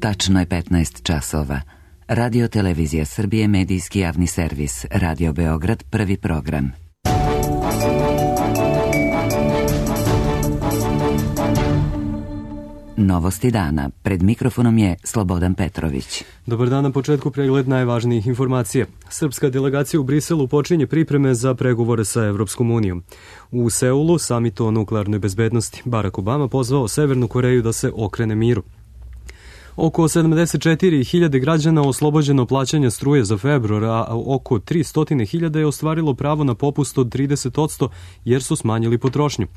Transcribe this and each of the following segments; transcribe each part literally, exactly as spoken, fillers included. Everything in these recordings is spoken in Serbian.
Tačno je petnaest časova. Radio Televizija Srbije, medijski javni servis. Radio Beograd, prvi program. Novosti dana. Pred mikrofonom je Slobodan Petrović. Dobar dan, na početku pregled najvažnijih informacija. Srpska delegacija u Briselu počinje pripreme za pregovore sa Evropskom unijom. U Seulu, samit o nuklearnoj bezbednosti, Barack Obama pozvao Severnu Koreju da se okrene miru. Oko sedamdeset četiri hiljade građana oslobođeno plaćanja struje za februar, a oko tristo hiljada je ostvarilo pravo na popust od trideset posto jer su smanjili potrošnju.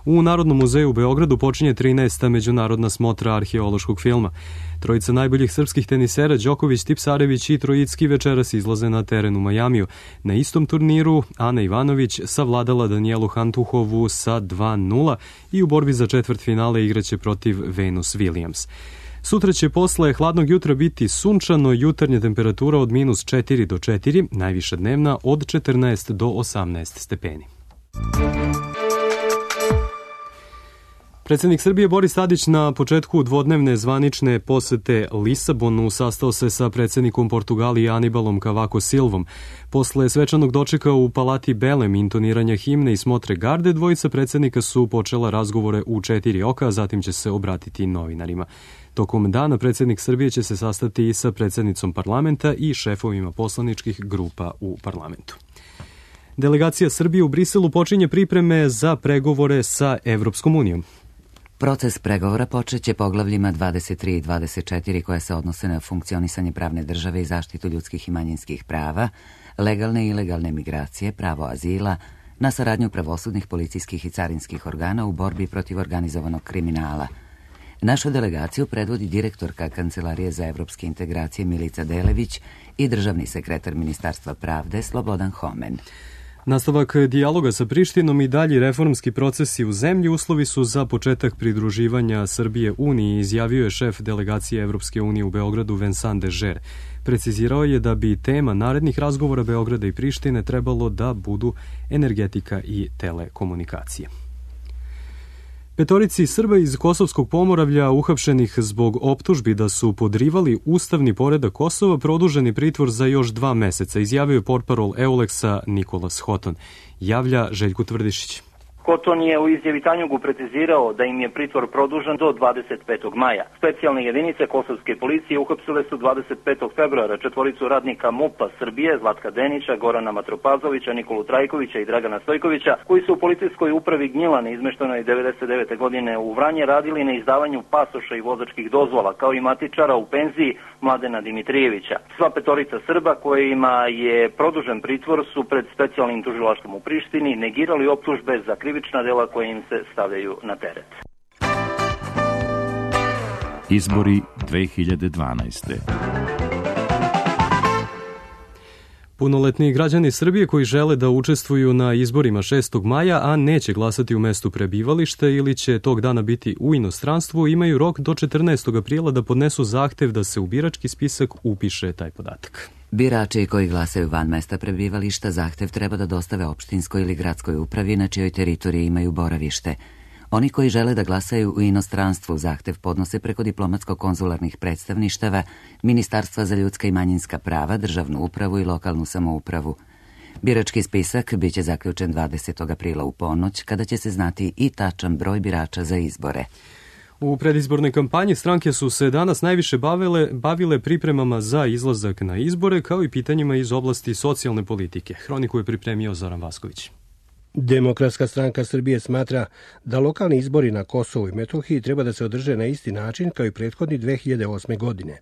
U Narodnom muzeju u Beogradu počinje trinaesta međunarodna smotra arheološkog filma. Trojica najboljih srpskih tenisera Đoković, Tipsarević i Trojicki večeras izlaze na teren u Majamiju. Na istom turniru Ana Ivanović savladala Danijelu Hantuhovu sa dva nula i u borbi za četvrtfinale igraće protiv Venus Williams. Sutra će posle hladnog jutra biti sunčano, jutarnja temperatura od minus četiri do četiri, najviša dnevna od četrnaest do osamnaest stepeni. Predsjednik Srbije Boris Tadić na početku dvodnevne zvanične posete Lisabonu sastao se sa predsjednikom Portugalije Anibalom Cavaco Silvom. Posle svečanog dočeka u Palati Belem, intoniranja himne i smotre garde, dvojica predsjednika su počela razgovore u četiri oka, a zatim će se obratiti novinarima. Tokom dana predsjednik Srbije će se sastati i sa predsjednicom parlamenta i šefovima poslaničkih grupa u parlamentu. Delegacija Srbije u Briselu počinje pripreme za pregovore sa Evropskom unijom. Proces pregovora počeće poglavljima dvadeset tri i dvadeset četiri koje se odnose na funkcionisanje pravne države i zaštitu ljudskih i manjinskih prava, legalne i ilegalne migracije, pravo azila, na saradnju pravosudnih, policijskih i carinskih organa u borbi protiv organizovanog kriminala. Našu delegaciju predvodi direktorka Kancelarije za evropske integracije Milica Delević i državni sekretar Ministarstva pravde Slobodan Homen. Nastavak dijaloga sa Prištinom i dalji reformski procesi u zemlji uslovi su za početak pridruživanja Srbije Uniji, izjavio je šef delegacije Evropske unije u Beogradu Vincent Dežer. Precizirao je da bi tema narednih razgovora Beograda i Prištine trebalo da budu energetika i telekomunikacije. Petorici Srba iz Kosovskog Pomoravlja uhapšenih zbog optužbi da su podrivali ustavni poredak Kosova produženi pritvor za još dva meseca, izjavio je portparol Euleksa Nikolas Hoton. Javlja Željko Tvrdišić. Hoton je u izjavi Tanjugu precizirao da im je pritvor produžen do dvadeset petog maja. Specijalne jedinice kosovske policije uhapsile su dvadeset petog februara četvoricu radnika MUP-a Srbije, Zlatka Denića, Gorana Matropazovića, Nikolu Trajkovića i Dragana Stojkovića, koji su u policijskoj upravi Gnjilane izmeštenoj devedeset devete godine u Vranje radili na izdavanju pasoša i vozačkih dozvola, kao i matičara u penziji Mladena Dimitrijevića. Sva petorica Srba kojima je produžen pritvor su pred specijalnim tužilaštvom u Prištini negirali optužbe za krivična dela koje im se stavljaju na teret. Izbori dve hiljade dvanaeste. Punoletni građani Srbije koji žele da učestvuju na izborima šestog maja, a neće glasati u mestu prebivališta ili će tog dana biti u inostranstvu, imaju rok do četrnaestog aprila da podnesu zahtev da se u birački spisak upiše taj podatak. Birači koji glasaju van mesta prebivališta zahtev treba da dostave opštinskoj ili gradskoj upravi na čijoj teritoriji imaju boravište. Oni koji žele da glasaju u inostranstvu zahtev podnose preko diplomatsko-konzularnih predstavništava, Ministarstva za ljudska i manjinska prava, državnu upravu i lokalnu samoupravu. Birački spisak biće zaključen dvadesetog aprila u ponoć, kada će se znati i tačan broj birača za izbore. U predizbornoj kampanji stranke su se danas najviše bavile, bavile pripremama za izlazak na izbore, kao i pitanjima iz oblasti socijalne politike. Hroniku je pripremio Zoran Vasković. Demokratska stranka Srbije smatra da lokalni izbori na Kosovu i Metohiji treba da se održe na isti način kao i prethodni dve hiljade osme. godine.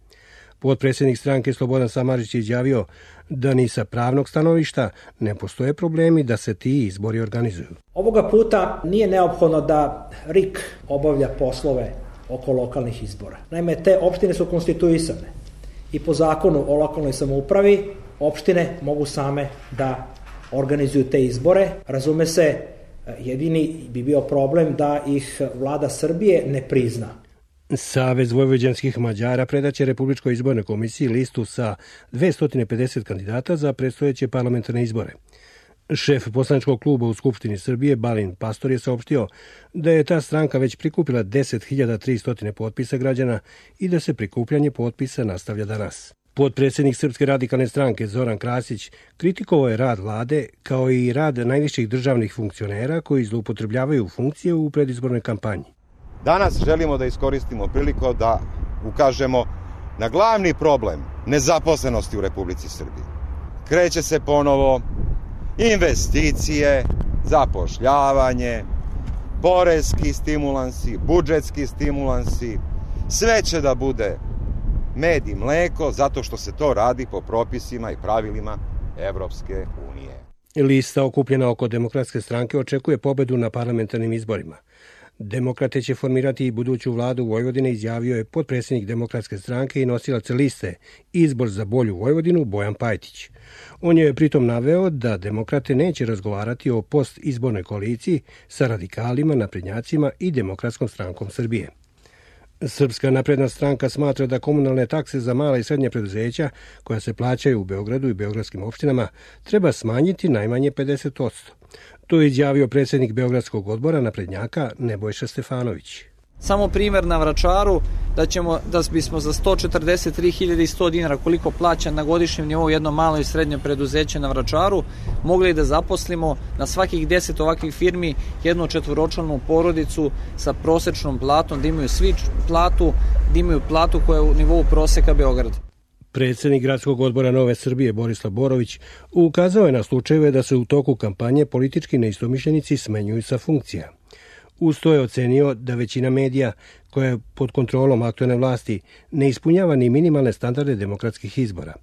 Potpredsjednik stranke Slobodan Samardžić je izjavio da ni sa pravnog stanovišta ne postoje problemi da se ti izbori organizuju. Ovoga puta nije neophodno da R I K obavlja poslove oko lokalnih izbora. Naime, te opštine su konstituisane i po zakonu o lokalnoj samoupravi opštine mogu same da organizuju te izbore. Razume se, jedini bi bio problem da ih vlada Srbije ne prizna. Savez vojvođanskih Mađara predaće Republičkoj izbornoj komisiji listu sa dvesta pedeset kandidata za predstojeće parlamentarne izbore. Šef poslaničkog kluba u Skupštini Srbije, Balint Pastor, je saopštio da je ta stranka već prikupila deset hiljada tristo potpisa građana i da se prikupljanje potpisa nastavlja danas. Potpredsjednik Srpske radikalne stranke Zoran Krasić kritikovao je rad vlade kao i rad najviših državnih funkcionera koji zloupotrebljavaju funkcije u predizbornoj kampanji. Danas želimo da iskoristimo priliku da ukažemo na glavni problem nezaposlenosti u Republici Srbiji. Kreće se ponovo investicije, zapošljavanje, poreski stimulansi, budžetski stimulansi, sve će da bude med i mleko zato što se to radi po propisima i pravilima Evropske unije. Lista okupljena oko Demokratske stranke očekuje pobedu na parlamentarnim izborima. Demokrate će formirati i buduću vladu Vojvodine, izjavio je potpredsjednik Demokratske stranke i nosilac liste Izbor za bolju Vojvodinu Bojan Pajtić. On je pritom naveo da demokrate neće razgovarati o postizbornoj koaliciji sa radikalima, naprednjacima i Demokratskom strankom Srbije. Srpska napredna stranka smatra da komunalne takse za mala i srednje preduzeća koja se plaćaju u Beogradu i beogradskim opštinama treba smanjiti najmanje pedeset posto. To je izjavio predsjednik Beogradskog odbora naprednjaka Nebojša Stefanović. Samo primjer na Vračaru da ćemo da bismo za sto četrdeset tri hiljade sto dinara koliko plaća na godišnjem nivou jedno malo i srednje preduzeće na Vračaru mogli da zaposlimo na svakih deset ovakvih firmi jednu četvoročlanu porodicu sa prosečnom platom, da imaju svi platu, da imaju platu koja je u nivou proseka Beograda. Predsjednik Gradskog odbora Nove Srbije Borislav Borović ukazao je na slučajeve da se u toku kampanje politički neistomišljenici smenjuju sa funkcija. Uz to je ocenio da većina medija koja je pod kontrolom aktuelne vlasti ne ispunjava ni minimalne standarde demokratskih izbora.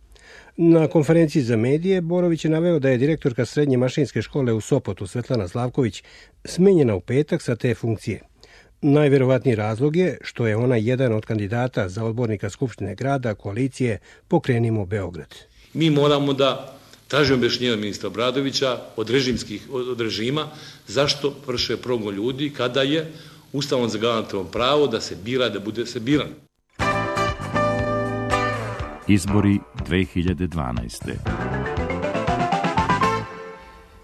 Na konferenciji za medije Borović je naveo da je direktorka srednje mašinske škole u Sopotu Svetlana Slavković smenjena u petak sa te funkcije. Najverovatniji razlog je što je ona jedan od kandidata za odbornika Skupštine grada koalicije Pokrenimo Beograd. Mi moramo da tražimo objašnjenje od ministra Obradovića od režimskih od režima zašto vrše progon ljudi kada je Ustavom zagarantovano pravo da se bira, da bude se biran. Izbori dve hiljade dvanaeste.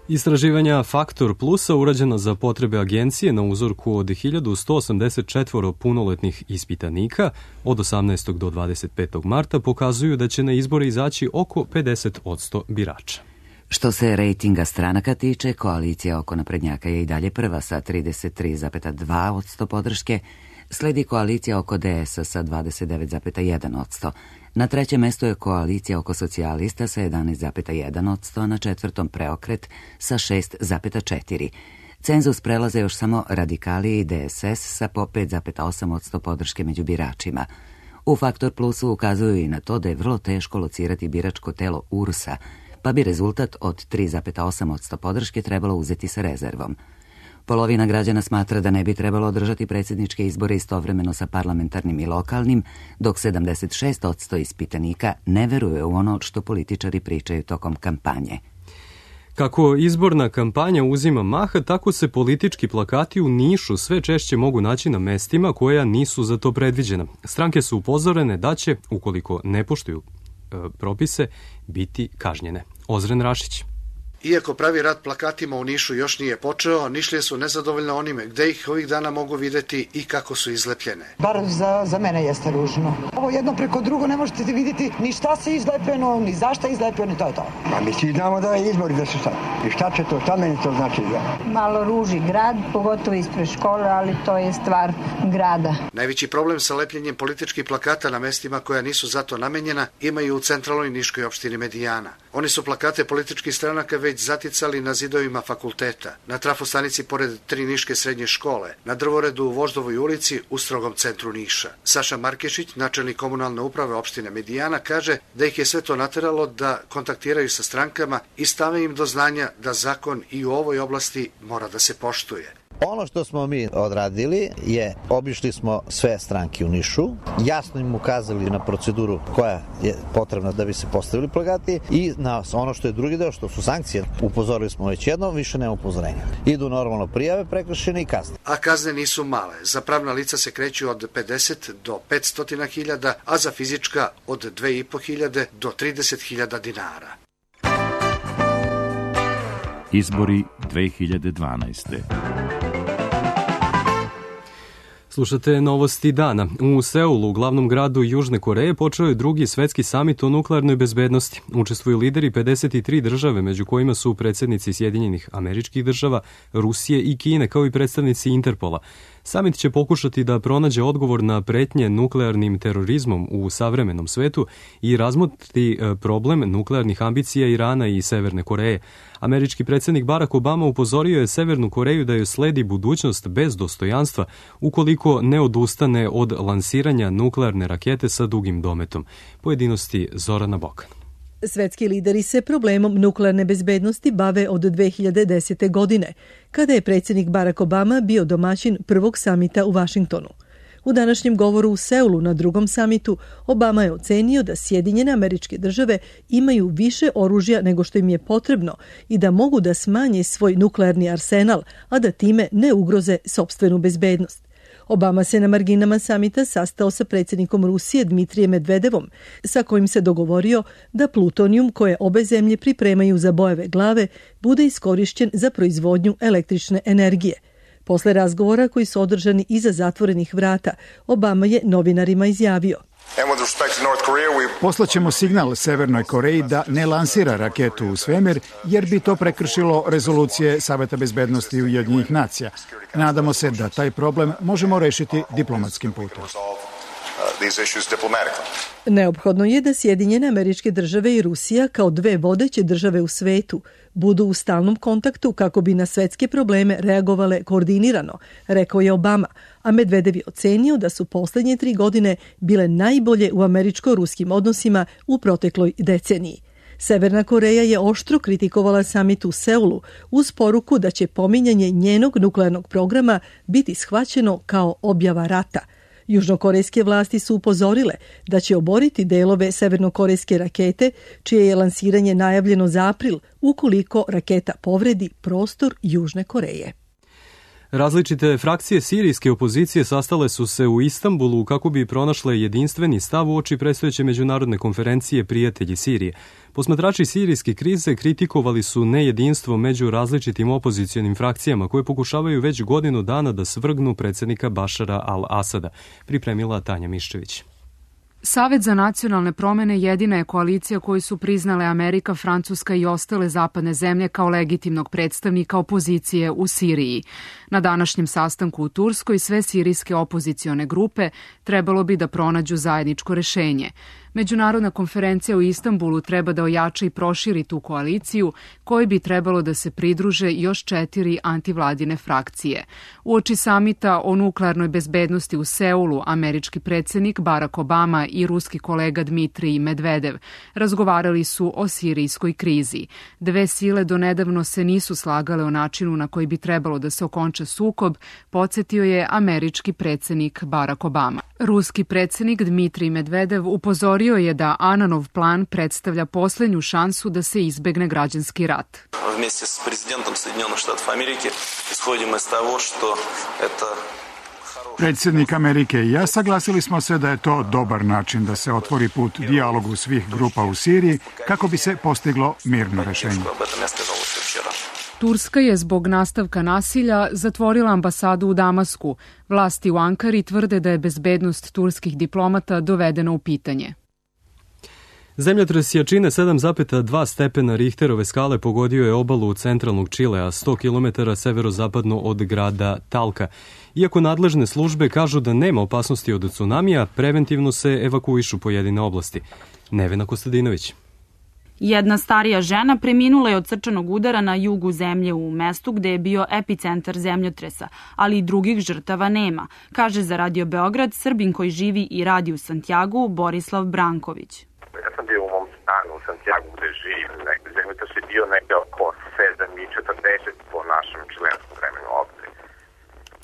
Istraživanja Faktor Plusa urađena za potrebe agencije na uzorku od hiljadu sto osamdeset četiri punoletnih ispitanika od osamnaestog do dvadeset petog marta pokazuju da će na izbore izaći oko pedeset posto birača. Što se rejtinga stranaka tiče, koalicija oko naprednjaka je i dalje prva sa trideset tri zarez dva posto podrške, sledi koalicija oko D S sa dvadeset devet zarez jedan posto. Na trećem mestu je koalicija oko socijalista sa jedanaest zarez jedan posto, a na četvrtom Preokret sa šest zarez četiri posto. Cenzus prelaze još samo radikali i D S S sa po pet zarez osam posto podrške među biračima. U Faktor Plusu ukazuju i na to da je vrlo teško locirati biračko telo U R S-a, pa bi rezultat od tri zarez osam posto podrške trebalo uzeti sa rezervom. Polovina građana smatra da ne bi trebalo održati predsjedničke izbore istovremeno sa parlamentarnim i lokalnim, dok sedamdeset šest posto ispitanika ne veruje u ono što političari pričaju tokom kampanje. Kako izborna kampanja uzima maha, tako se politički plakati u Nišu sve češće mogu naći na mestima koja nisu za to predviđena. Stranke su upozorene da će, ukoliko ne poštuju e, propise, biti kažnjene. Ozren Rašić. Iako pravi rat plakatima u Nišu još nije počeo, Nišlije su nezadovoljne onime gde ih ovih dana mogu videti i kako su izlepljene. Bar za, za mene jeste ružno. Ovo jedno preko drugo ne možete vidjeti ni šta se izlepljeno, ni zašta izlepljeno, i to je to. Pa mi svi znamo da je izbori da su sad. I šta će to, šta meni to znači? Da? Malo ruži grad, pogotovo ispred škole, ali to je stvar grada. Najveći problem sa lepljenjem političkih plakata na mestima koja nisu zato namenjena imaju u centralnoj niškoj opštini Medijana. Oni su plakate političkih stranaka već zaticali na zidovima fakulteta, na trafostanici pored tri niške srednje škole, na drvoredu u Voždovoj ulici u strogom centru Niša. Saša Markešić, načelnik komunalne uprave opštine Medijana, kaže da ih je sve to nateralo da kontaktiraju sa strankama i stave im do znanja da zakon i u ovoj oblasti mora da se poštuje. Ono što smo mi odradili je, obišli smo sve stranke u Nišu, jasno im ukazali na proceduru koja je potrebna da bi se postavili plakati i na ono što je drugi deo, što su sankcije. Upozorili smo već jedno, više nema upozorenja. Idu normalno prijave, prekršene i kazne. A kazne nisu male. Za pravna lica se kreću od pedeset do petsto hiljada, a za fizička od dve i po hiljade do trideset hiljada dinara. Izbori dve hiljade dvanaeste. Slušate novosti dana. U Seulu, glavnom gradu Južne Koreje, počeo je drugi svetski samit o nuklearnoj bezbednosti. Učestvuju lideri pedeset tri države, među kojima su predsjednici Sjedinjenih Američkih Država, Rusije i Kine, kao i predstavnici Interpola. Samit će pokušati da pronađe odgovor na pretnje nuklearnim terorizmom u savremenom svetu i razmotriti problem nuklearnih ambicija Irana i Severne Koreje. Američki predsjednik Barack Obama upozorio je Severnu Koreju da joj sledi budućnost bez dostojanstva ukoliko ne odustane od lansiranja nuklearne rakete sa dugim dometom. Pojedinosti Zorana Bokan. Svetski lideri se problemom nuklearne bezbednosti bave od dve hiljade desete. godine, kada je predsjednik Barack Obama bio domaćin prvog samita u Vašingtonu. U današnjem govoru u Seulu na drugom samitu Obama je ocenio da Sjedinjene Američke Države imaju više oružja nego što im je potrebno i da mogu da smanje svoj nuklearni arsenal, a da time ne ugroze sopstvenu bezbednost. Obama se na marginama samita sastao sa predsjednikom Rusije Dmitrijem Medvedevom, sa kojim se dogovorio da plutonijum koje obe zemlje pripremaju za bojeve glave bude iskorišćen za proizvodnju električne energije. Posle razgovora koji su održani iza zatvorenih vrata, Obama je novinarima izjavio: Poslaćemo signal Severnoj Koreji da ne lansira raketu u svemir, jer bi to prekršilo rezolucije Saveta bezbednosti Ujedinjenih nacija. Nadamo se da taj problem možemo rešiti diplomatskim putem. Neophodno je da Sjedinjene Američke Države i Rusija kao dve vodeće države u svetu budu u stalnom kontaktu kako bi na svetske probleme reagovale koordinirano, rekao je Obama, a Medvedev je ocenio da su poslednje tri godine bile najbolje u američko-ruskim odnosima u protekloj deceniji. Severna Koreja je oštro kritikovala samit u Seulu uz poruku da će pominjanje njenog nuklearnog programa biti shvaćeno kao objava rata. Južnokorejske vlasti su upozorile da će oboriti delove severnokorejske rakete, čije je lansiranje najavljeno za april, ukoliko raketa povredi prostor Južne Koreje. Različite frakcije sirijske opozicije sastale su se u Istanbulu kako bi pronašle jedinstveni stav uoči predstojeće međunarodne konferencije Prijatelji Sirije. Posmatrači sirijske krize kritikovali su nejedinstvo među različitim opozicionim frakcijama koje pokušavaju već godinu dana da svrgnu predsjednika Bašara al-Asada, pripremila Tanja Miščević. Savet za nacionalne promene jedina je koalicija koju su priznale Amerika, Francuska i ostale zapadne zemlje kao legitimnog predstavnika opozicije u Siriji. Na današnjem sastanku u Turskoj sve sirijske opozicione grupe trebalo bi da pronađu zajedničko rešenje. Međunarodna konferencija u Istanbulu treba da ojača i proširi tu koaliciju, kojoj bi trebalo da se pridruže još četiri antivladine frakcije. Uoči samita o nuklearnoj bezbednosti u Seulu, američki predsjednik Barack Obama i ruski kolega Dmitrij Medvedev razgovarali su o sirijskoj krizi. Dve sile donedavno se nisu slagale o načinu na koji bi trebalo da se okonča sukob, podsjetio je američki predsjednik Barack Obama. Ruski predsjednik Dmitrij Medvedev upozorio je da Ananov plan predstavlja posljednju šansu da se izbegne građanski rat. Вместе с президентом Соединенных Штатов Америки исходим из того, что это Predsjednik Amerike i ja saglasili smo se da je to dobar način da se otvori put dijalogu svih grupa u Siriji kako bi se postiglo mirno rešenje. Turska je zbog nastavka nasilja zatvorila ambasadu u Damasku. Vlasti u Ankari tvrde da je bezbednost turskih diplomata dovedena u pitanje. Zemljotres jačine sedam zarez dva stepena Richterove skale pogodio je obalu centralnog Čilea, sto kilometara severozapadno od grada Talka. Iako nadležne službe kažu da nema opasnosti od tsunamija, preventivno se evakuišu pojedine oblasti. Nevena Kostadinović. Jedna starija žena preminula je od srčanog udara na jugu zemlje u mestu gde je bio epicentar zemljotresa, ali i drugih žrtava nema, kaže za Radio Beograd Srbin koji živi i radi u Santiagu Borislav Branković. Ja sam bio u mom stanu u Santiagu gde živim, zemljotres je bio negde oko sedam i četrdeset po našem čilenskom vremenu ovde.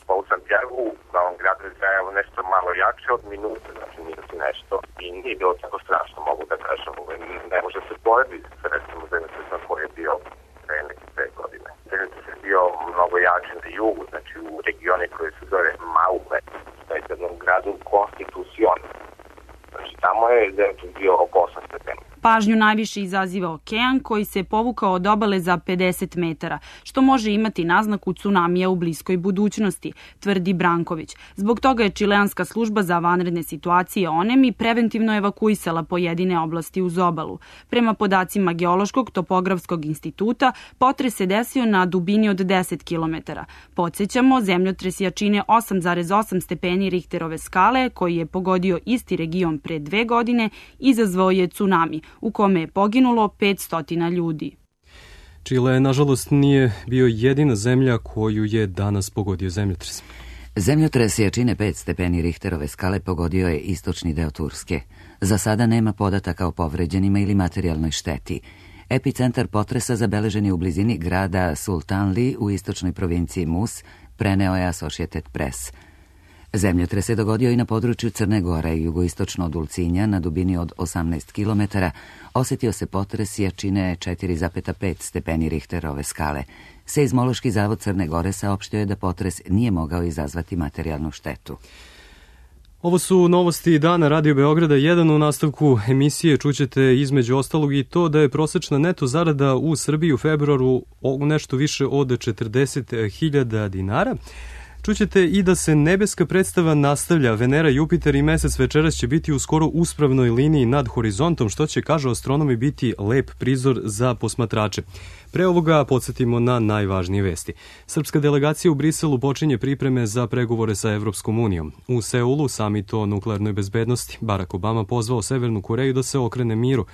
Pa u Santiagu, na ovom gradu je trajalo nešto malo jače od minute, znači minut i nešto, i nije bilo tako strašno, mogu da kažem, ne može se porediti sa recimo zemljotresom koji je bio pre neke dve godine. Zemljotres je bio mnogo jači na jugu, znači u regioni koji se zove Maule, što je jednom gradu Konstitucion. Znači tamo je zemljotres bio oko osam stepeni. Pažnju najviše izaziva okean koji se povukao od obale za pedeset metara, što može imati naznaku tsunamija u bliskoj budućnosti, tvrdi Branković. Zbog toga je čileanska služba za vanredne situacije ONEM i preventivno evakuisala pojedine oblasti uz obalu. Prema podacima Geološkog topografskog instituta, potres se desio na dubini od deset kilometara. Podsjećamo, zemljotres jačine osam zarez osam stepeni Richterove skale, koji je pogodio isti region pre dve godine, izazvao je tsunami, u kome je poginulo petsto ljudi. Čile, nažalost, nije bio jedina zemlja koju je danas pogodio zemljotres. Zemljotres jačine pet stepeni Richterove skale pogodio je istočni deo Turske. Za sada nema podataka o povređenima ili materijalnoj šteti. Epicentar potresa zabeležen je u blizini grada Sultanli u istočnoj provinciji Mus, preneo je Associated Press. Zemljotres je dogodio i na području Crne Gore, jugoistočno od Ulcinja, na dubini od osamnaest kilometara. Osetio se potres jačine četiri zarez pet stepeni Richterove skale. Seizmološki zavod Crne Gore saopštio je da potres nije mogao izazvati materijalnu štetu. Ovo su novosti dana Radio Beograda jedan. U nastavku emisije čućete između ostalog i to da je prosečna neto zarada u Srbiji u februaru nešto više od četrdeset hiljada dinara. Čućete i da se nebeska predstava nastavlja. Venera, Jupiter i Mesec večeras će biti u skoro uspravnoj liniji nad horizontom, što će, kažu astronomi, biti lep prizor za posmatrače. Pre ovoga podsjetimo na najvažnije vesti. Srpska delegacija u Briselu počinje pripreme za pregovore sa Evropskom unijom. U Seulu, samit o nuklearnoj bezbednosti, Barack Obama pozvao Severnu Koreju da se okrene miru.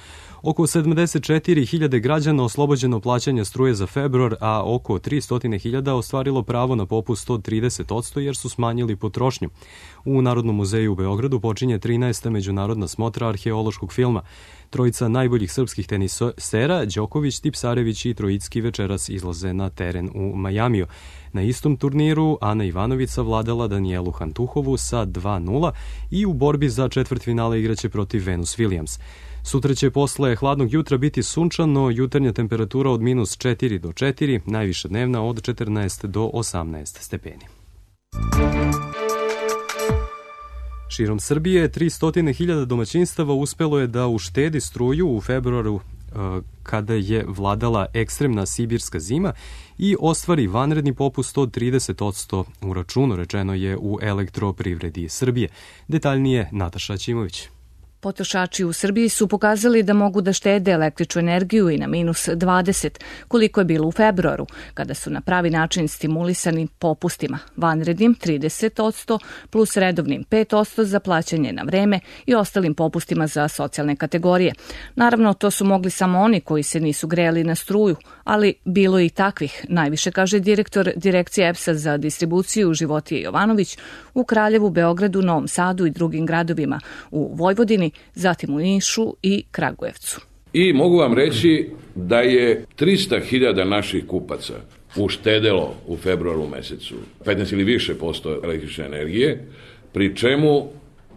Oko sedamdeset četiri hiljade građana oslobođeno plaćanja struje za februar, a oko tristo hiljada ostvarilo pravo na popust od trideset posto jer su smanjili potrošnju. U Narodnom muzeju u Beogradu počinje trinaesta međunarodna smotra arheološkog filma. Trojica najboljih srpskih tenisera, Đoković, Tipsarević i Trojicki, večeras izlaze na teren u Majamiju. Na istom turniru Ana Ivanović savladala Danijelu Hantuhovu sa dva nula i u borbi za četvrtfinale igraće protiv Venus Williams. Sutra će posle hladnog jutra biti sunčano, jutarnja temperatura od minus četiri do četiri, najviša dnevna od četrnaest do osamnaest stepeni. Širom Srbije tristo hiljada domaćinstava uspelo je da uštedi struju u februaru kada je vladala ekstremna sibirska zima i ostvari vanredni popust od trideset posto u računu, rečeno je u Elektroprivredi Srbije. Detaljnije Nataša Ćimović. Potrošači u Srbiji su pokazali da mogu da štede električnu energiju i na minus dvadeset, koliko je bilo u februaru, kada su na pravi način stimulisani popustima, vanrednim trideset posto plus redovnim pet posto za plaćanje na vreme i ostalim popustima za socijalne kategorije. Naravno, to su mogli samo oni koji se nisu grejali na struju, ali bilo i takvih, najviše kaže direktor Direkcije E P S-a za distribuciju Životije Jovanović u Kraljevu, Beogradu, Novom Sadu i drugim gradovima u Vojvodini, zatim u Nišu i Kragujevcu. I mogu vam reći da je trista hiljada naših kupaca uštedelo u februaru mesecu petnaest ili više posto električne energije, pri čemu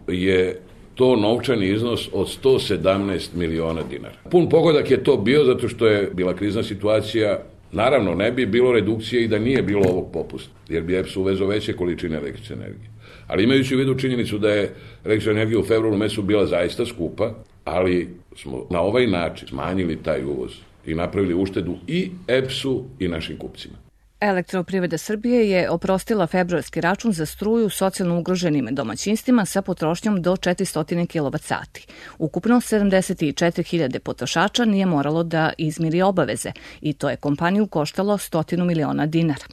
je to novčani iznos od sto sedamnaest miliona dinara. Pun pogodak je to bio zato što je bila krizna situacija. Naravno, ne bi bilo redukcije i da nije bilo ovog popusta, jer bi E P S uvezao veće količine električne energije. Ali imajući u vidu činjenicu da je električna energija u februaru mesecu bila zaista skupa, ali smo na ovaj način smanjili taj uvoz i napravili uštedu i E P S-u i našim kupcima. Elektroprivreda Srbije je oprostila februarski račun za struju socijalno ugroženim domaćinstvima sa potrošnjom do četiristo kilovat sati. Ukupno sedamdeset četiri hiljade potrošača nije moralo da izmiri obaveze i to je kompaniju koštalo stotinu miliona dinara.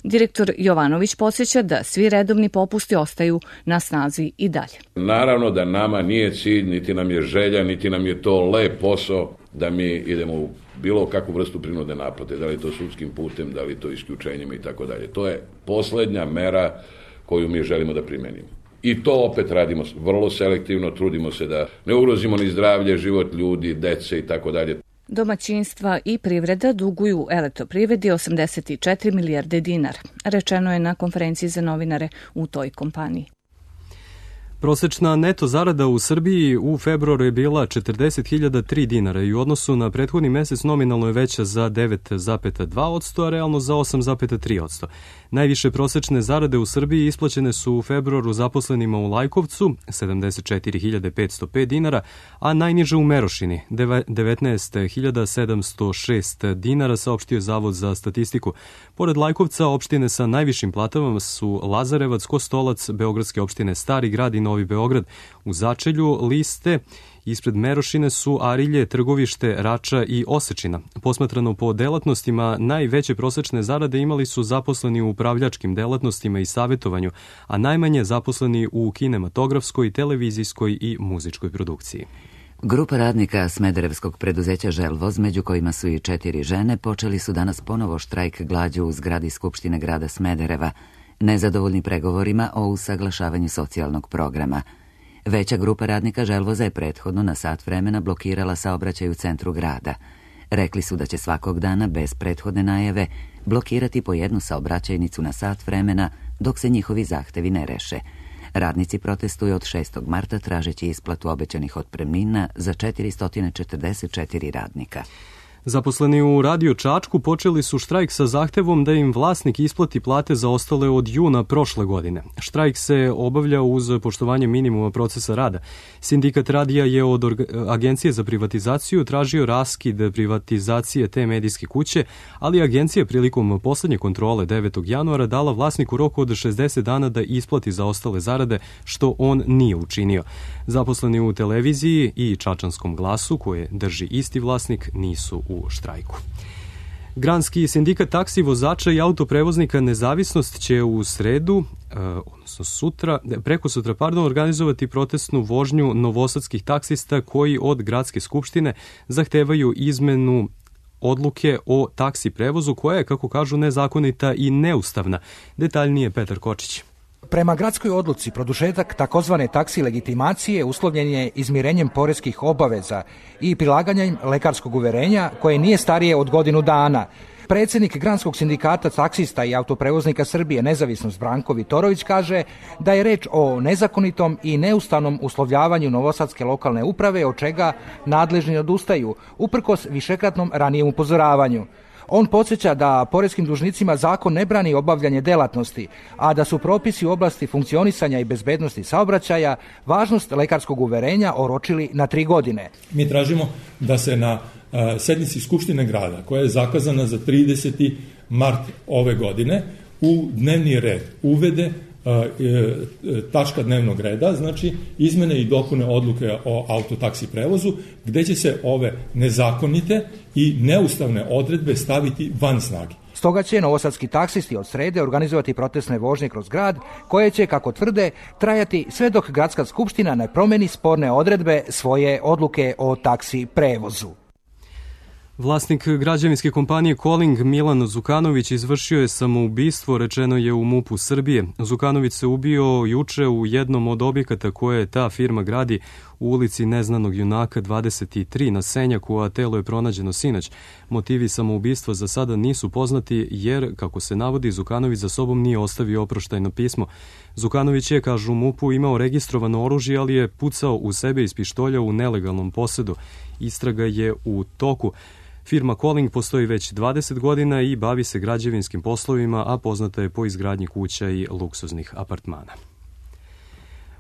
Direktor Jovanović podsjeća da svi redovni popusti ostaju na snazi i dalje. Naravno da nama nije cilj, niti nam je želja, niti nam je to lep posao da mi idemo u bilo kakvu vrstu prinude naplate, da li to sudskim putem, da li to isključenjima i tako dalje. To je poslednja mera koju mi želimo da primenimo. I to opet radimo vrlo selektivno, trudimo se da ne ugrozimo ni zdravlje, život ljudi, dece i tako dalje. Domaćinstva i privreda duguju Elektroprivredi osamdeset četiri milijarde dinara, rečeno je na konferenciji za novinare u toj kompaniji. Prosečna neto zarada u Srbiji u februaru je bila četrdeset hiljada tri dinara i u odnosu na prethodni mesec nominalno je veća za devet zarez dva posto, a realno za osam zarez tri posto. Najviše prosečne zarade u Srbiji isplaćene su u februaru zaposlenima u Lajkovcu, sedamdeset četiri hiljade petsto pet dinara, a najniže u Merošini, devetnaest hiljada sedamsto šest dinara, saopštio Zavod za statistiku. Pored Lajkovca, opštine sa najvišim platama su Lazarevac, Kostolac, beogradske opštine Stari grad i Novi Beograd. U začelju liste ispred Merošine su Arilje, Trgovište, Rača i Osečina. Posmatrano po delatnostima, najveće prosečne zarade imali su zaposleni u upravljačkim delatnostima i savjetovanju, a najmanje zaposleni u kinematografskoj, televizijskoj i muzičkoj produkciji. Grupa radnika Smederevskog preduzeća Želvoz, među kojima su i četiri žene, počeli su danas ponovo štrajk glađu u zgradi Skupštine grada Smedereva, nezadovoljni pregovorima o usaglašavanju socijalnog programa. Veća grupa radnika Želvoza je prethodno na sat vremena blokirala saobraćaj u centru grada. Rekli su da će svakog dana bez prethodne najave blokirati po jednu saobraćajnicu na sat vremena dok se njihovi zahtevi ne reše. Radnici protestuju od šestog marta tražeći isplatu obećanih otpremnina za četiristo četrdeset četiri radnika. Zaposleni u Radio Čačku počeli su štrajk sa zahtevom da im vlasnik isplati plate zaostale od juna prošle godine. Štrajk se obavlja uz poštovanje minimuma procesa rada. Sindikat radija je od Agencije za privatizaciju tražio raskid privatizacije te medijske kuće, ali agencija prilikom poslednje kontrole devetog januara dala vlasniku rok od šezdeset dana da isplati zaostale zarade, što on nije učinio. Zaposleni u televiziji i Čačanskom glasu, koje drži isti vlasnik, nisu u štrajku. Granski sindikat taksi vozača i autoprevoznika Nezavisnost će u sredu, odnosno sutra, preko sutra, pardon, organizovati protestnu vožnju novosadskih taksista koji od gradske skupštine zahtevaju izmenu odluke o taksi prevozu koja je, kako kažu, nezakonita i neustavna. Detaljnije Petar Kočić. Prema gradskoj odluci, produžetak takozvane taksi legitimacije uslovljen je izmirenjem poreskih obaveza i prilaganjem lekarskog uverenja koje nije starije od godinu dana. Predsjednik Granskog sindikata taksista i autoprevoznika Srbije Nezavisnost Branko Vitorović kaže da je reč o nezakonitom i neustavnom uslovljavanju novosadske lokalne uprave, od čega nadležni odustaju, uprkos višekratnom ranijem upozoravanju. On podsjeća da poreskim dužnicima zakon ne brani obavljanje delatnosti, a da su propisi u oblasti funkcionisanja i bezbednosti saobraćaja važnost lekarskog uverenja oročili na tri godine. Mi tražimo da se na sednici Skupštine grada, koja je zakazana za trideseti mart ove godine, u dnevni red uvede tačka dnevnog reda, znači izmene i dopune odluke o autotaksi prevozu, gde će se ove nezakonite i neustavne odredbe staviti van snage. Stoga će novosadski taksisti od srede organizovati protestne vožnje kroz grad, koje će, kako tvrde, trajati sve dok gradska skupština ne promeni sporne odredbe svoje odluke o taksi prevozu. Vlasnik građevinske kompanije Calling Milan Zukanović izvršio je samoubistvo, rečeno je u MUP-u Srbije. Zukanović se ubio juče u jednom od objekata koje ta firma gradi u ulici Neznanog junaka dvadeset tri na Senjaku, a telo je pronađeno sinoć. Motivi samoubistva za sada nisu poznati jer, kako se navodi, Zukanović za sobom nije ostavio oproštajno pismo. Zukanović je, kažu u MUP-u, imao registrovano oružje, ali je pucao u sebe iz pištolja u nelegalnom posedu. Istraga je u toku. Firma Calling postoji već dvadeset godina i bavi se građevinskim poslovima, a poznata je po izgradnji kuća i luksuznih apartmana.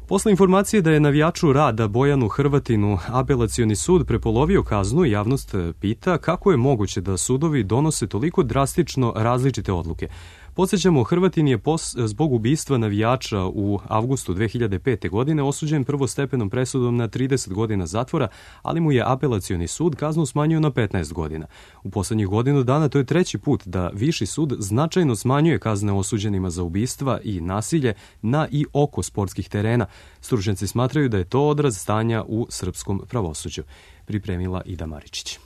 Posle informacije da je navijaču Rada Bojanu Hrvatinu apelacioni sud prepolovio kaznu, javnost pita kako je moguće da sudovi donose toliko drastično različite odluke. Podsjećamo, Hrvatin je pos, zbog ubistva navijača u avgustu dve hiljade pete. godine osuđen prvostepenom presudom na trideset godina zatvora, ali mu je apelacioni sud kaznu smanjio na petnaest godina. U poslednjih godinu dana to je treći put da Viši sud značajno smanjuje kazne osuđenima za ubistva i nasilje na i oko sportskih terena. Stručnjaci smatraju da je to odraz stanja u srpskom pravosuđu. Pripremila Ida Maričić.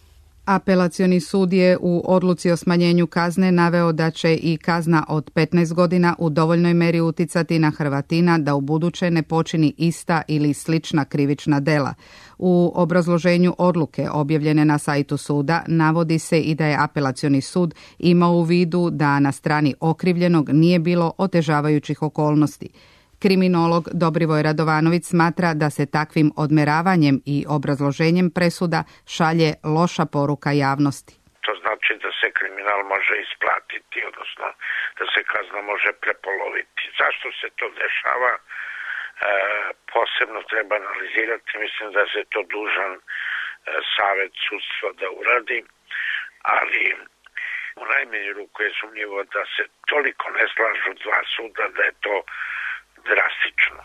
Apelacioni sud je u odluci o smanjenju kazne naveo da će i kazna od petnaest godina u dovoljnoj meri uticati na Hrvatina da u buduće ne počini ista ili slična krivična dela. U obrazloženju odluke objavljene na sajtu suda navodi se i da je apelacioni sud imao u vidu da na strani okrivljenog nije bilo otežavajućih okolnosti. Kriminolog Dobrivoj Radovanović smatra da se takvim odmeravanjem i obrazloženjem presuda šalje loša poruka javnosti. To znači da se kriminal može isplatiti, odnosno da se kazna može prepoloviti. Zašto se to dešava? E, posebno treba analizirati, mislim da se to dužan e, savet sudstva da uradi, ali u najmanju ruku je sumnjivo da se toliko ne slažu dva suda da je to drastično.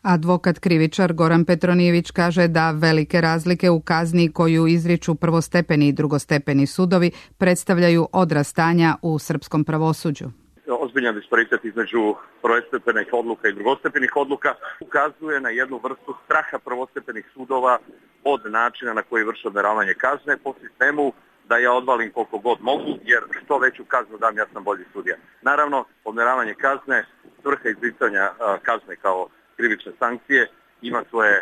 Advokat krivičar Goran Petronijević kaže da velike razlike u kazni koju izriču prvostepeni i drugostepeni sudovi predstavljaju odraz stanja u srpskom pravosuđu. Ozbiljan disparitet između prvostepenih odluka i drugostepenih odluka ukazuje na jednu vrstu straha prvostepenih sudova od načina na koji vrše odmeravanje kazne po sistemu da ja odvalim koliko god mogu, jer što veću kaznu dam, ja sam bolji sudija. Naravno, odmeravanje kazne, svrha izricanja kazne kao krivične sankcije ima svoje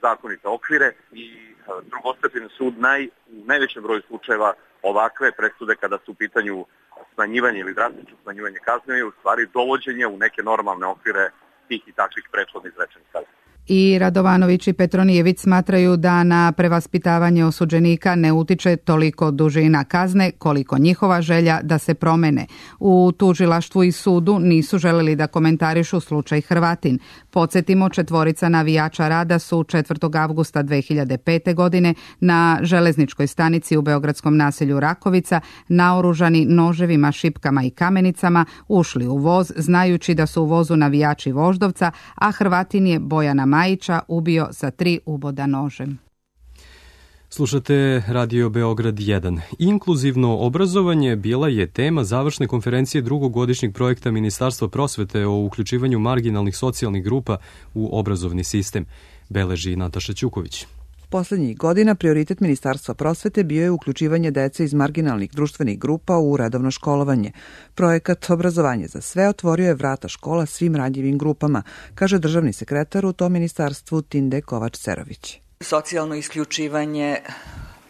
zakonite okvire i drugostepeni sud naj, u najvećem broju slučajeva ovakve presude kada su u pitanju smanjivanje ili drastično smanjivanje kazne je u stvari dovođenje u neke normalne okvire tih i takvih prethodno izrečenih kazni. I Radovanović i Petronijević smatraju da na prevaspitavanje osuđenika ne utiče toliko dužina kazne koliko njihova želja da se promene. U tužilaštvu i sudu nisu želeli da komentarišu slučaj Hrvatin. Podsjetimo, četvorica navijača Rada su četvrtog avgusta dve hiljade pete. godine na železničkoj stanici u beogradskom naselju Rakovica naoružani noževima, šipkama i kamenicama ušli u voz znajući da su u vozu navijači Voždovca, a Hrvatin je Bojana Majića ubio sa tri uboda nožem. Slušate Radio Beograd jedan. Inkluzivno obrazovanje bila je tema završne konferencije drugogodišnjeg projekta Ministarstva prosvete o uključivanju marginalnih socijalnih grupa u obrazovni sistem, beleži Nataša Ćuković. Poslednjih godina prioritet Ministarstva prosvete bio je uključivanje dece iz marginalnih društvenih grupa u redovno školovanje. Projekat Obrazovanje za sve otvorio je vrata škola svim ranjivim grupama, kaže državni sekretar u tom ministarstvu Tinde Kovač-Cerović. Socijalno isključivanje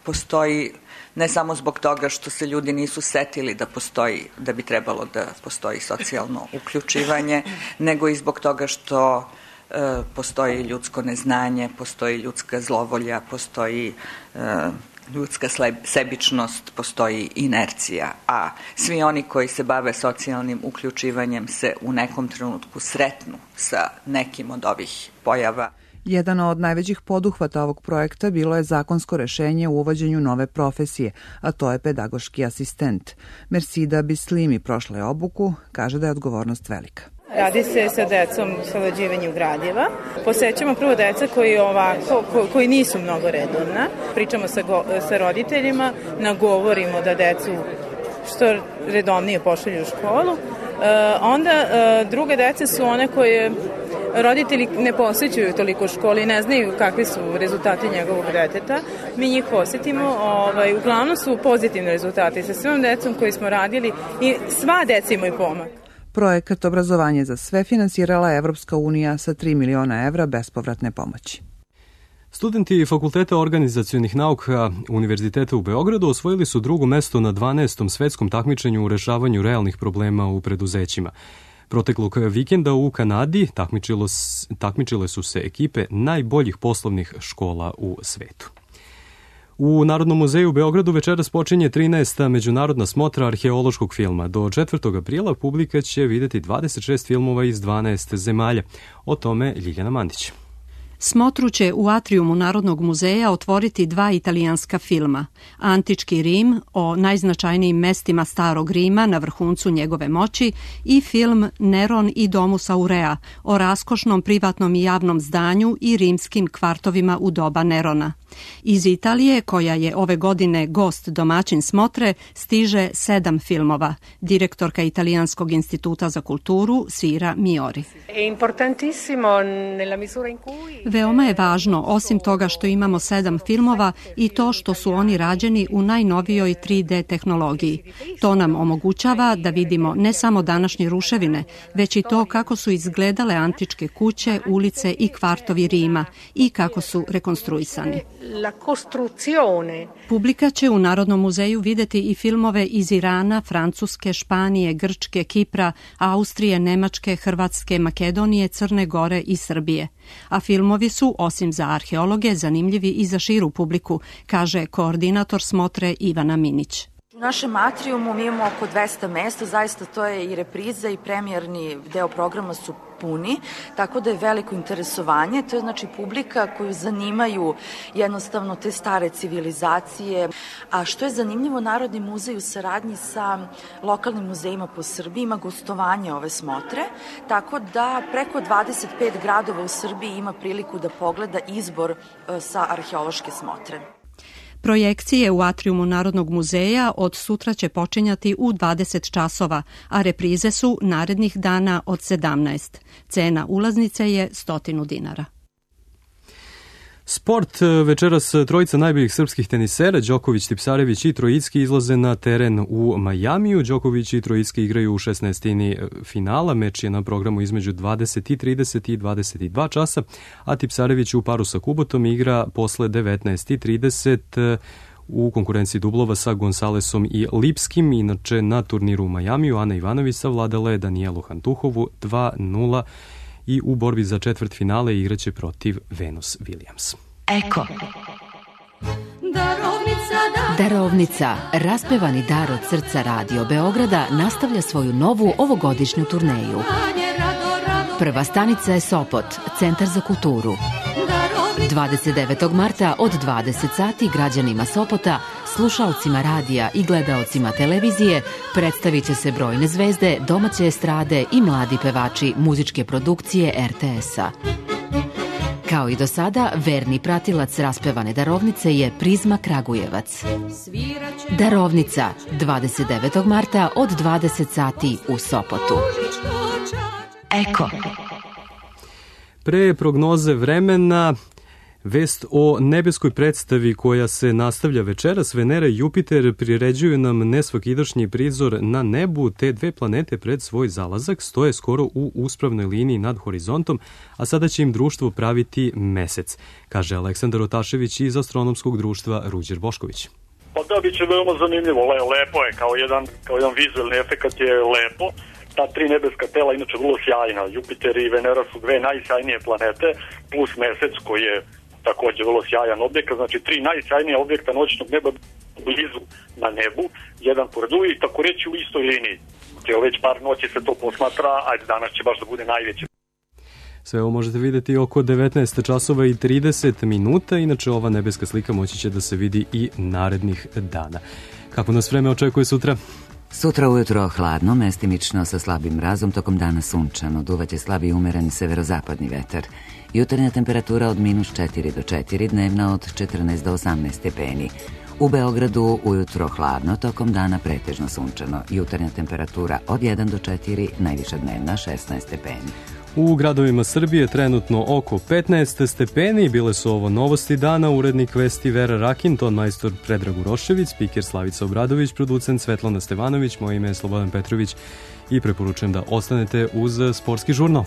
postoji ne samo zbog toga što se ljudi nisu setili da postoji, da bi trebalo da postoji socijalno uključivanje, nego i zbog toga što e, postoji ljudsko neznanje, postoji ljudska zlovolja, postoji e, ljudska sebičnost, postoji inercija, a svi oni koji se bave socijalnim uključivanjem se u nekom trenutku sretnu sa nekim od ovih pojava. Jedan od najvećih poduhvata ovog projekta bilo je zakonsko rešenje u uvođenju nove profesije, a to je pedagoški asistent. Mersida Bislimi prošla je obuku, kaže da je odgovornost velika. Radi se sa decom savlađivanju gradiva. Posećamo prvo deca koji, ovako, ko, koji nisu mnogo redovna. Pričamo sa, go, sa roditeljima, nagovorimo da decu što redovnije pošalju u školu. E, onda e, druge dece su one koje roditelji ne posjećuju toliko školi, ne znaju kakvi su rezultati njegovog deteta. Mi njih posjetimo, ovaj, uglavnom su pozitivni rezultati sa svim decom koji smo radili i sva deca imaju pomak. Projekat Obrazovanje za sve finansirala je Evropska unija sa tri miliona evra bespovratne pomoći. Studenti Fakulteta organizacionih nauka Univerziteta u Beogradu osvojili su drugo mesto na dvanaestom svetskom takmičenju u rešavanju realnih problema u preduzećima. Proteklog vikenda u Kanadi takmičile su se ekipe najboljih poslovnih škola u svetu. U Narodnom muzeju u Beogradu večeras počinje trinaesta međunarodna smotra arheološkog filma. Do četvrtog aprila publika će videti dvadeset šest filmova iz dvanaest zemalja. O tome Ljiljana Mandić. Smotru će u atrijumu Narodnog muzeja otvoriti dva italijanska filma. Antički Rim o najznačajnijim mestima starog Rima na vrhuncu njegove moći i film Neron i Domus Aurea o raskošnom privatnom i javnom zdanju i rimskim kvartovima u doba Nerona. Iz Italije, koja je ove godine gost domaćin smotre, stiže sedam filmova. Direktorka Italijanskog instituta za kulturu Sira Miori. Veoma je važno, osim toga što imamo sedam filmova, i to što su oni rađeni u najnovijoj tri D tehnologiji. To nam omogućava da vidimo ne samo današnje ruševine, već i to kako su izgledale antičke kuće, ulice i kvartovi Rima i kako su rekonstruisani. la costruzione. Publika će u Narodnom muzeju videti i filmove iz Irana, Francuske, Španije, Grčke, Kipra, Austrije, Nemačke, Hrvatske, Makedonije, Crne Gore i Srbije. A filmovi su, osim za arheologe, zanimljivi i za širu publiku, kaže koordinator smotre Ivana Minić. U našem atrijumu mi imamo oko dvesta mesta, zaista to je i repriza i premijerni deo programa su puni, tako da je veliko interesovanje. To je znači publika koju zanimaju jednostavno te stare civilizacije. A što je zanimljivo, Narodni muzej u saradnji sa lokalnim muzejima po Srbiji ima gostovanje ove smotre, tako da preko dvadeset pet gradova u Srbiji ima priliku da pogleda izbor sa arheološke smotre. Projekcije u atrijumu Narodnog muzeja od sutra će počinjati u dvadeset časova, a reprize su narednih dana od sedamnaest. Cena ulaznice je sto dinara. Sport. Večeras trojica najboljih srpskih tenisera, Đoković, Tipsarević i Trojicki, izlaze na teren u Majamiju. Đoković i Trojicki igraju u šesnaestini finala. Meč je na programu između dvadeset i trideset i dvadeset dva časa, a Tipsarević u paru sa Kubotom igra posle devetnaest i trideset u konkurenciji dublova sa Gonzalesom i Lipskim. Inače, na turniru u Majamiju Ana Ivanović savladala je Danijelu Hantuhovu dva nula i u borbi za četvrt finale igraće protiv Venus Williams. Eko. Darovnica, da... Darovnica, raspevani dar od srca Radio Beograda, nastavlja svoju novu ovogodišnju turneju. Prva stanica je Sopot, Centar za kulturu. dvadeset devetog marta od dvadeset sati građanima Sopota, slušaocima radija i gledaocima televizije predstavit će se brojne zvezde, domaće estrade i mladi pevači muzičke produkcije er te es-a. Kao i do sada, verni pratilac raspevane darovnice je Prizma Kragujevac. Darovnica, dvadeset devetog marta od dvadeset sati u Sopotu. Eko. Pre prognoze vremena, vest o nebeskoj predstavi koja se nastavlja večeras. Venera i Jupiter priređuju nam nesvakidašnji prizor na nebu. Te dve planete pred svoj zalazak stoje skoro u uspravnoj liniji nad horizontom, a sada će im društvo praviti mesec, kaže Aleksandar Otašević iz Astronomskog društva Ruđer Bošković. Pa da, bit će veoma zanimljivo. Le, lepo je, kao jedan, kao jedan vizualni efekat je lepo. Ta tri nebeska tela inače vrlo sjajna. Jupiter i Venera su dve najsjajnije planete, plus mesec koji je takođe vrlo sjajan objekt, znači tri najsjajnije objekta noćnog neba blizu na nebu, jedan pored drugog i tako reći u istoj liniji. Evo već par noći se to posmatra, ajde danas će baš da bude najveće. Sve ovo možete vidjeti oko devetnaest časova i trideset minuta, inače ova nebeska slika moći će da se vidi i narednih dana. Kako nas vreme očekuje sutra? Sutra ujutro hladno, mestimično sa slabim mrazom, tokom dana sunčano, duvaće slabi umereni severozapadni vetar. Jutarnja temperatura od minus četiri do četiri, dnevna od četrnaest do osamnaest stepeni. U Beogradu ujutro hladno, tokom dana pretežno sunčano. Jutarnja temperatura od jedan do četiri, najviša dnevna šesnaest stepeni. U gradovima Srbije trenutno oko petnaest stepeni. Bile su ovo novosti dana. Urednik vesti Vera Rakin, ton majstor Predrag Urošević, spiker Slavica Obradović, producent Svetlana Stevanović, moje ime je Slobodan Petrović i preporučujem da ostanete uz Sportski žurnal.